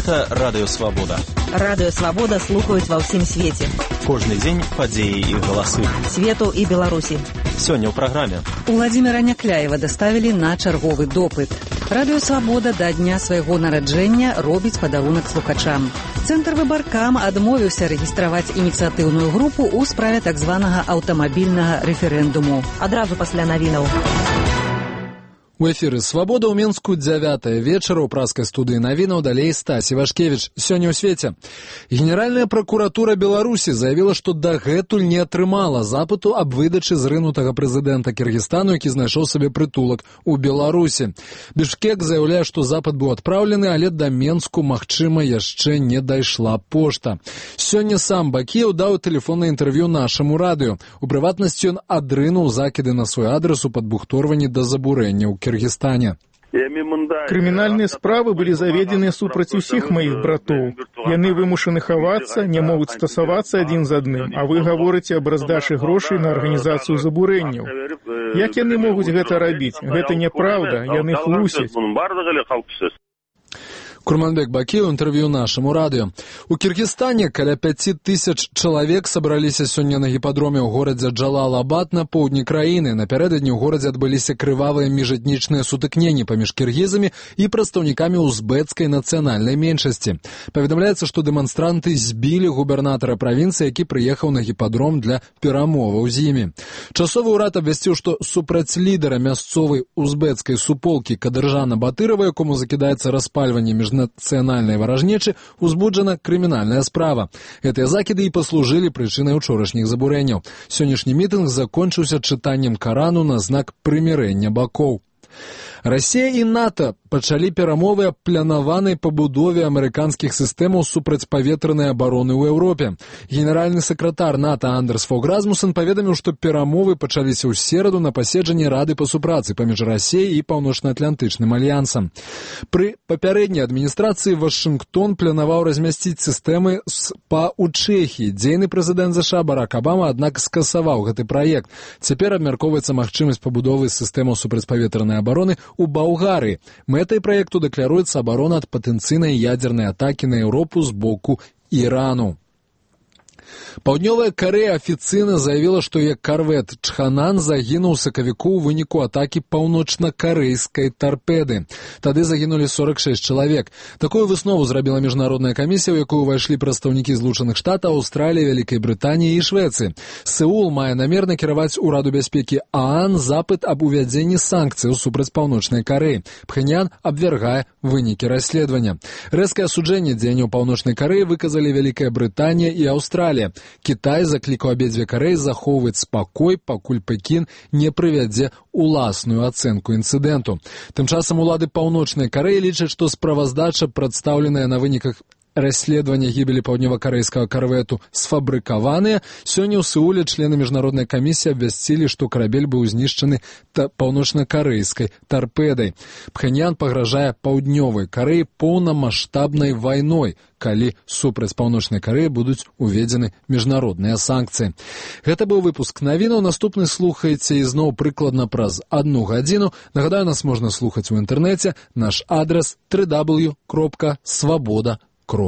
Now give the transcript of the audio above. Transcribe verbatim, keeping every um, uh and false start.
Гэта Радыё Свабода. Радыё Свабода слухаюць ва ўсім свеце. Кожны дзень падзеі і галасы. Свету і Беларусі. Сёння ў праграме. Уладзіміра Някляева даставілі на чарговы допыт. Радыё Свабода да дня свайго нараджэння робіць падарунак слухачам. Цэнтр Выбаркам адмовіўся рэгістраваць ініцыятыўную групу ў справе так званага аўтамабільнага рэферэндуму. Адразу пасля навінаў. У эфіры «Свабода» ў Мінску дзявятая вечара ў праскай студыі навінаў, далей Стась Івашкевіч. Сёння ў свеце. Генеральная пракуратура Беларусі заявіла, што дагэтуль не атрымала запыту аб выдачы зрынутага прэзідэнта Кіргізстану, які знайшоў сабе прытулак у Беларусі. Бішкек заяўляе, што запыт быў адпраўлены, але да Менску, магчыма, яшчэ не дайшла пошта. Сёння сам Бакіеў даў тэлефоннае інтэрв'ю нашаму радыё. У прыватнасці ён адрынуў закіды на свой адрес у падбухторванні да забурэння ў Киргизстане. Крымінальныя справы былі заведзены супраць усіх маіх братоў. Яны вымушаны хавацца, не могуць стасавацца адзін з адным, а вы гаворыце аб раздачы грошай на арганізацыю забурэнняў. Як яны могуць гэта рабіць? Гэта няправда, яны хлусяць. Курманбек Бакіеў, інтэрв'ю нашаму радыё. У Кіргізстане каля пяці тысяч чалавек сабраліся сёння на гіпадроме ў горадзе Джалал-Абад на поўдні краіны. Напярэдадні ў горадзе адбыліся крывавыя міжэтнічныя сутыкненні паміж кіргізамі і прадстаўнікамі узбэцкай нацыянальнай меншасці. Паведамляецца, што дэманстранты збілі губернатара правінцыі, які прыехаў на гіпадром для перамоваў з імі. Часовы ўрад абвясціў, што супраць лідара мясцовай узбэцкай суполкі Кадыржана Батырова, якому закідаецца распальванне між нацыянальнай варажнечы, узбуджана крымінальная справа. Гэтыя закіды і паслужылі прычынай учорашніх забурэнняў. Сённяшні мітынг закончыўся чытаннем Карану на знак прымірэння бакоў. Расія і НАТО пачалі перамовы аб планаванай пабудове амерыканскіх сістэмаў супрацьпаветранай абароны ў Еўропе. Генеральны сакратар НАТО Андерс Фог Расмуссен паведаміў, што перамовы пачаліся ў сераду на паседжанні Рады па супрацы паміж Расіяй і Паўночна-Атлантычным альянсам. Пры папярэдняй адміністрацыі Вашынгтон планаваў размясціць сістэмы СПА ў Чэхіі. Дзейны прэзідэнт ЗША Барак Абама, аднак, скасаваў гэты праект. Цяпер абмяркоўваецца магчымасць пабудовы сістэмаў супрацьпаветранай абароны у Балгарыі. Мэтай праекту дэкларуецца абарона ад патэнцыйнай ядзернай атакі на Еўропу з боку Ірану. Паўднёвая Карэя афіцыйна заявіла, што яе карвет «Чханан» загінуў у сакавіку ў выніку атакі паўночна-карэйскай тарпеды. Тады загінулі сорак шэсць чалавек. Такую выснову зрабіла міжнародная камісія, у якую ўвайшлі прадстаўнікі Злучаных Штатаў, Аўстраліі, Вялікай Брытаніі і Швецыі. Сеул мае намер накіраваць ураду бяспекі ААН запыт аб увядзенні санкцыяў супраць Паўночнай Карэі. Пхеньян абвяргае вынікі расследавання. Рэзкае асуджэнне дзеянняў Паўночнай Карэі выказалі Вялікая Брытанія і Аўстралія. Кітай заклікаў абедзве Карэі захоўваць спакой, пакуль Пекін не прывядзе уласную ацэнку інцыдэнту. Тым часам улады Паўночнай Карэі лічаць, што справаздача, прадстаўленая на выніках расследавання гібелі паўднёва-карэйскага карвету, сфабрыкаваныя. Сёння ў Сеуле члены міжнароднай камісіі абвясцілі, што карабель быў знішчаны паўночна-карэйскай тарпедай. Пхеньян пагражае Паўднёвай Карэі поўнамаштабнай вайной, калі супраць Паўночнай Карэі будуць уведзены міжнародныя санкцыі. Гэта быў выпуск навінаў. Наступны слухаеце ізноў прыкладна праз адну гадзіну. Нагадаю, нас можна слухаць у інтэрнэце. Наш адрас дабл ю дабл ю дабл ю кропка свабода кропка